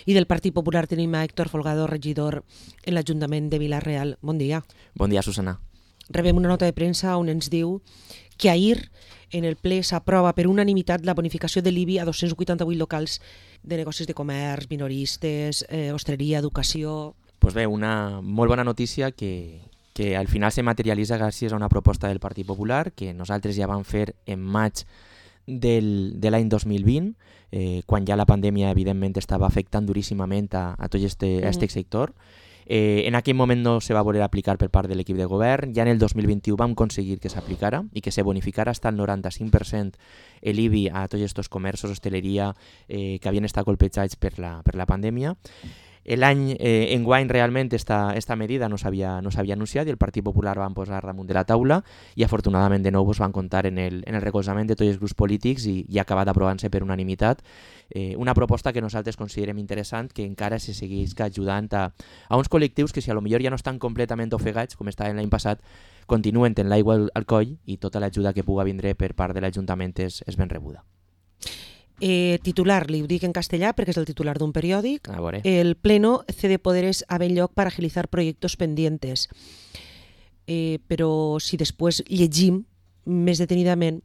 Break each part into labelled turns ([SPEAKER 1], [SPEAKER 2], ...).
[SPEAKER 1] I del Partit Popular tenim a Héctor Folgado, regidor en l'Ajuntament de Vila-real. Bon dia.
[SPEAKER 2] Bon dia, Susana.
[SPEAKER 1] Rebem una nota de premsa on ens diu que ahir en el ple s'aprova per unanimitat la bonificació de l'IBI a 288 locals de negocis de comerç, minoristes, hostaleria, educació...
[SPEAKER 2] Pues bé, una molt bona notícia que al final se materialitza gràcies a una proposta del Partit Popular que nosaltres ja vam fer en maig de l'any 2020, quan ja la pandèmia evidentment estava afectant duríssimament a tot este sector. En aquell moment no se va voler aplicar per part de l'equip de govern, ja en el 2021 vam aconseguir que s'aplicara i que se bonificara fins al 95% l'IBI a tots aquests comerços, hostaleria, que havien estat colpejats per la pandèmia. L'any enguany realment esta medida no s'havia anunciat i el Partit Popular van posar damunt de la taula i afortunadament de nou van comptar en el recolzament de tots els grups polítics i ha acabat aprovant-se per unanimitat una proposta que nosaltres considerem interessant, que encara se segueix ajudant a uns col·lectius que si a lo millor ja no estan completament ofegats com estaven l'any passat, continuen tenint l'aigua al coll i tota l'ajuda que puga vindre per part de l'Ajuntament és ben rebuda.
[SPEAKER 1] Titular, li ho dic en castellà perquè és el titular d'un periòdic.
[SPEAKER 2] A veure.
[SPEAKER 1] El Pleno cede poderes a Benlloc para agilizar proyectos pendientes. Però si després llegim més detenidament,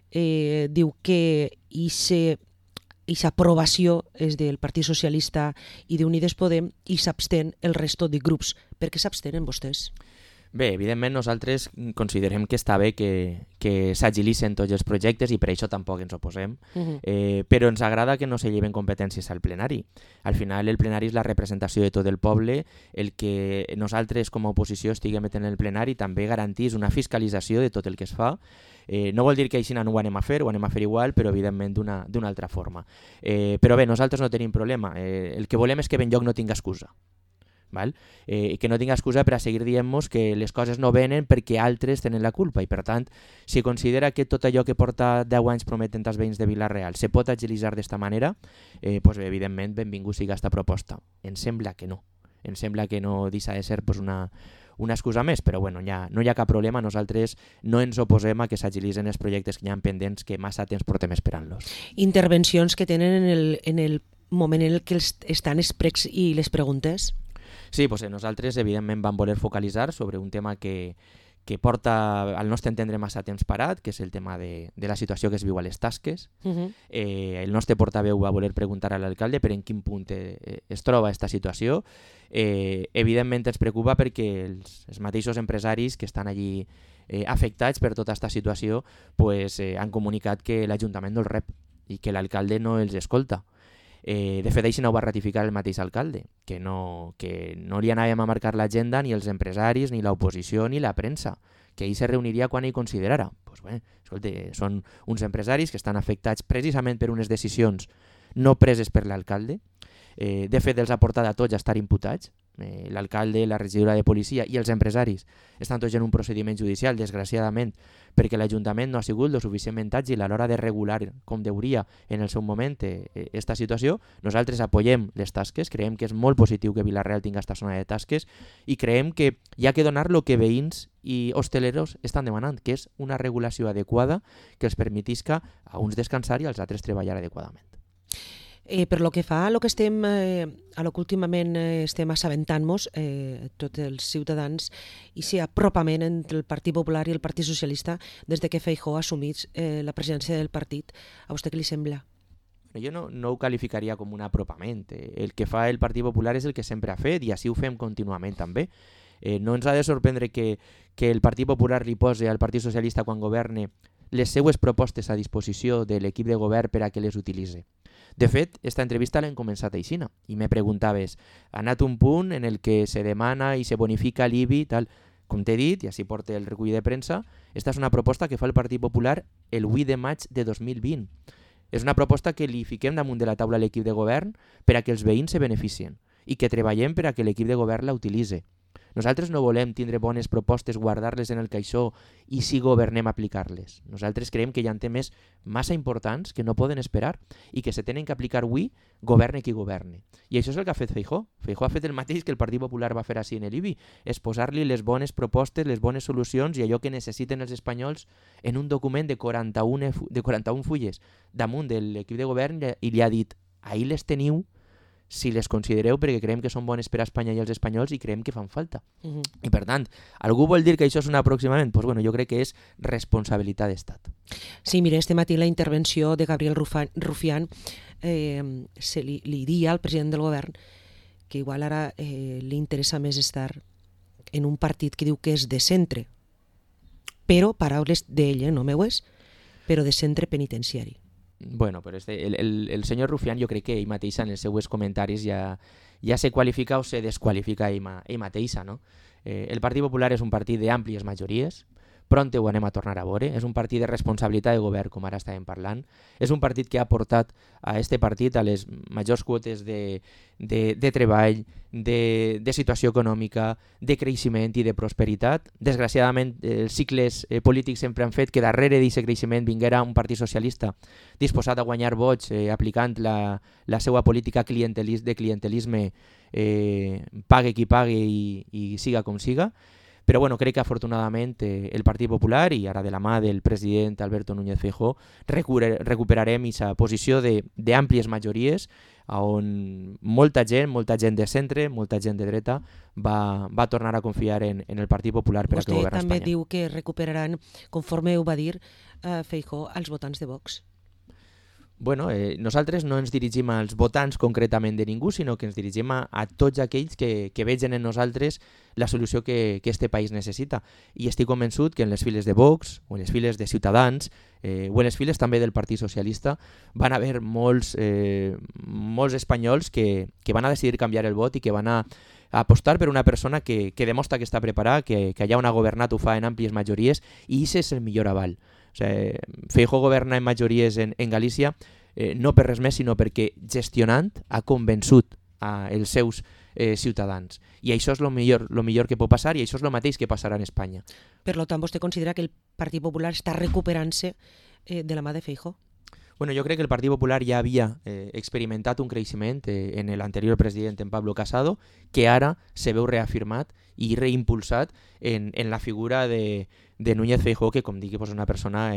[SPEAKER 1] diu que aquesta aprovació és del Partit Socialista i d'Unides Podem i s'abstén el resto de grups. Per què s'abstenen vostès?
[SPEAKER 2] Bé, evidentment nosaltres considerem que està bé que s'agilitzen tots els projectes i per això tampoc ens oposem, però ens agrada que no se lleven competències al plenari. Al final el plenari és la representació de tot el poble, el que nosaltres com a oposició estiguem en el plenari també garantís una fiscalització de tot el que es fa. No vol dir que així no ho anem a fer, ho anem a fer igual, però evidentment d'una altra forma. Però bé, nosaltres no tenim problema, el que volem és que Benlloc no tinga excusa. Que no tinga excusa per a seguir dient-nos que les coses no venen perquè altres tenen la culpa i per tant, si considera que tot allò que porta 10 anys prometent als veïns de Vila-real se pot agilitzar d'esta manera, pues bé, evidentment benvingut siga aquesta proposta. Ens sembla que no deixa de ser pues, una excusa més, però bueno, no hi ha cap problema, nosaltres no ens oposem a que s'agilitzen els projectes que hi ha pendents que massa temps portem esperant-los.
[SPEAKER 1] Intervencions que tenen en el moment en què estan els pregs i les preguntes?
[SPEAKER 2] Sí, pues nosaltres evidentment vam voler focalitzar sobre un tema que porta al nostre entendre massa temps parat, que és el tema de la situació que es viu a les tasques. El nostre portaveu va voler preguntar a l'alcalde per en quin punt es troba aquesta situació. Evidentment ens preocupa perquè els mateixos empresaris que estan allí afectats per tota aquesta situació pues, han comunicat que l'Ajuntament no els rep i que l'alcalde no els escolta. De fet, això no ho va ratificar el mateix alcalde, que no li anàvem a marcar l'agenda ni els empresaris, ni l'oposició, ni la premsa, que ell se reuniria quan ell considerara. Pues bé, escolta, són uns empresaris que estan afectats precisament per unes decisions no preses per l'alcalde. De fet, els ha portat a tots a estar imputats. L'alcalde, la regidora de policia i els empresaris estan tots en un procediment judicial, desgraciadament, perquè l'Ajuntament no ha sigut lo suficientment àgil a l'hora de regular com deuria en el seu moment aquesta situació. Nosaltres apoyem les tasques, creiem que és molt positiu que Vila-real tingui aquesta zona de tasques i creiem que hi ha que donar el que veïns i hosteleros estan demanant, que és una regulació adequada que els permetisca a uns descansar i als altres treballar adequadament.
[SPEAKER 1] Per lo que fa a lo que últimament estem assabentant-nos, tots els ciutadans, i si apropament entre el Partit Popular i el Partit Socialista des de que Feijóo assumís la presidència del partit, a vostè què li sembla?
[SPEAKER 2] Jo no ho qualificaria com un apropament. El que fa el Partit Popular és el que sempre ha fet i així ho fem contínuament també. No ens ha de sorprendre que el Partit Popular li posi al Partit Socialista quan governe les seues propostes a disposició de l'equip de govern per a que les utilitzi. De fet, esta entrevista l'hem començat aixina i me preguntaves, ha anat un punt en el que se demana i se bonifica l'IBI i tal. Com t'he dit, i així porta el recull de premsa, esta és una proposta que fa el Partit Popular el 8 de maig de 2020. És una proposta que li fiquem damunt de la taula a l'equip de govern per a que els veïns se beneficien i que treballem per a que l'equip de govern la utilitzi. Nosaltres no volem tindre bones propostes, guardar-les en el caixó i si governem aplicar-les. Nosaltres creiem que hi ha temes massa importants que no poden esperar i que se tenen que aplicar avui, governe qui governe. I això és el que ha fet Feijóo. Feijóo ha fet el mateix que el Partit Popular va fer així en l'IBI, és posar-li les bones propostes, les bones solucions i allò que necessiten els espanyols en un document de 41 fulles damunt de l'equip de govern i li ha dit, ahí les teniu, si les considereu perquè creiem que són bones per a Espanya i els espanyols i creiem que fan falta. I per tant, algú vol dir que això és un aproximament? Doncs bueno, jo crec que és responsabilitat d'Estat.
[SPEAKER 1] Sí, mira, este matí la intervenció de Gabriel Rufián li dia al president del govern que igual ara li interessa més estar en un partit que diu que és de centre, però, paraules d'ell, no meues, però de centre penitenciari.
[SPEAKER 2] Bueno, però el senyor Rufián jo crec que ell mateixa en els seus comentaris ja se qualifica o se desqualifica ell mateixa, no? El Partit Popular és un partit d'àmplies majories, pront ho anem a tornar a veure, és un partit de responsabilitat de govern, com ara estàvem parlant, és un partit que ha portat a este partit a les majors quotes de treball, de situació econòmica, de creixement i de prosperitat. Desgraciadament, els cicles polítics sempre han fet que darrere d'aquest creixement vinguera un partit socialista disposat a guanyar vots aplicant la seva política de clientelisme, pague qui pague i siga com siga. Però bueno, crec que afortunadament el Partit Popular i ara de la mà del president Alberto Núñez Feijóo recuperarem aquesta posició d'àmplies majories on molta gent de centre, molta gent de dreta va tornar a confiar en el Partit Popular per a que governa Espanya.
[SPEAKER 1] Vostè també diu que recuperaran, conforme ho va dir Feijóo, els votants de Vox.
[SPEAKER 2] Bueno, nosaltres no ens dirigim als votants concretament de ningú, sinó que ens dirigim a tots aquells que vegen en nosaltres la solució que este país necessita. I estic convençut que en les files de Vox, o en les files de Ciutadans, o en les files també del Partit Socialista, van haver molts espanyols que van a decidir canviar el vot i que van a apostar per una persona que demostra que està preparada, que allà on ha governat ho fa en àmplies majories, i aquest és el millor aval. O sigui, Feijóo governa en majories en Galícia no per res més, sinó perquè gestionant ha convençut els seus ciutadans. I això és el millor que pot passar i això és el mateix que passarà en Espanya.
[SPEAKER 1] Per tant, vostè considera que el Partit Popular està recuperant-se de la mà de Feijóo?
[SPEAKER 2] Bueno, jo crec que el Partit Popular ja havia experimentat un creixement en l'anterior president, en Pablo Casado, que ara se veu reafirmat i reimpulsat en la figura de Núñez Feijóo, que, com dic, és una persona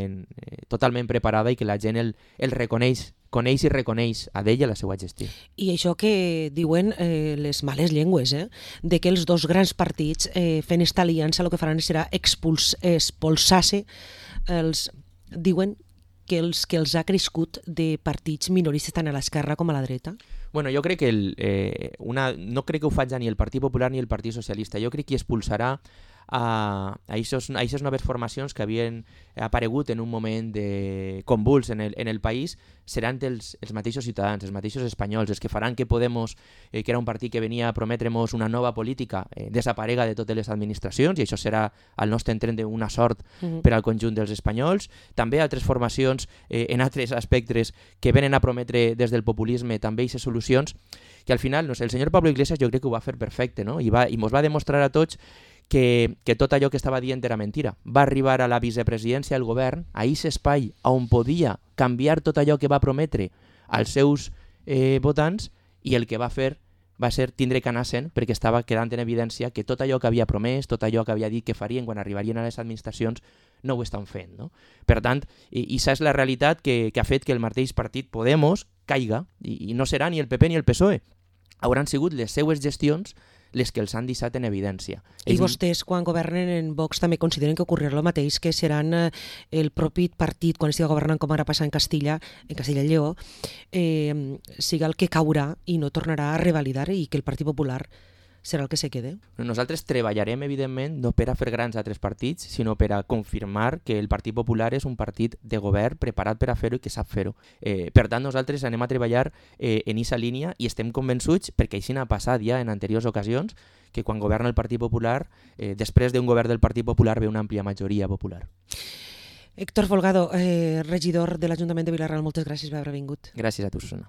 [SPEAKER 2] totalment preparada i que la gent el reconeix, coneix i reconeix a ell a la seva gestió.
[SPEAKER 1] I això que diuen les males llengües, de que els dos grans partits fent esta aliança el que faran serà expulsar-se diuen que els ha crescut de partits minoristes tant a l'esquerra com a la dreta?
[SPEAKER 2] Bueno, jo crec que no crec que ho faci ni el Partit Popular ni el Partit Socialista. Jo crec que expulsarà a aquestes noves formacions que havien aparegut en un moment de convuls en el país, seran els mateixos ciutadans, els mateixos espanyols, els que faran que Podemos, que era un partit que venia a prometre-nos una nova política, desaparega de totes les administracions, i això serà, al nostre entendre, una sort per al conjunt dels espanyols. També altres formacions en altres aspectes que venen a prometre des del populisme també aquestes solucions, que al final, no sé, el senyor Pablo Iglesias jo crec que ho va fer perfecte, no? I mos va demostrar a tots que tot allò que estava dient era mentira. Va arribar a la vicepresidència del govern, a aquest espai on podia canviar tot allò que va prometre als seus votants, i el que va fer va ser tindre que anar sent, perquè estava quedant en evidència que tot allò que havia promès, tot allò que havia dit que farien quan arribarien a les administracions, no ho estan fent, no? Per tant, això és la realitat que ha fet que el mateix partit Podemos caiga, i no serà ni el PP ni el PSOE. Hauran sigut les seues gestions les que els han deixat en evidència.
[SPEAKER 1] I vostès, quan governen en Vox, també consideren que ocorrirà el mateix, que seran el propi partit, quan estigui governant, com ara passa en Castilla i Lleó, siga el que caurà i no tornarà a revalidar, i que el Partit Popular serà el que se quede?
[SPEAKER 2] Nosaltres treballarem, evidentment, no per a fer grans altres partits, sinó per a confirmar que el Partit Popular és un partit de govern preparat per a fer-ho i que sap fer-ho. Per tant, nosaltres anem a treballar en aquesta línia i estem convençuts, perquè així n'ha passat ja en anteriors ocasions, que quan governa el Partit Popular, després d'un govern del Partit Popular ve una àmplia majoria popular.
[SPEAKER 1] Héctor Folgado, regidor de l'Ajuntament de Vila-real, moltes gràcies per haver vingut.
[SPEAKER 2] Gràcies a tu, Susana.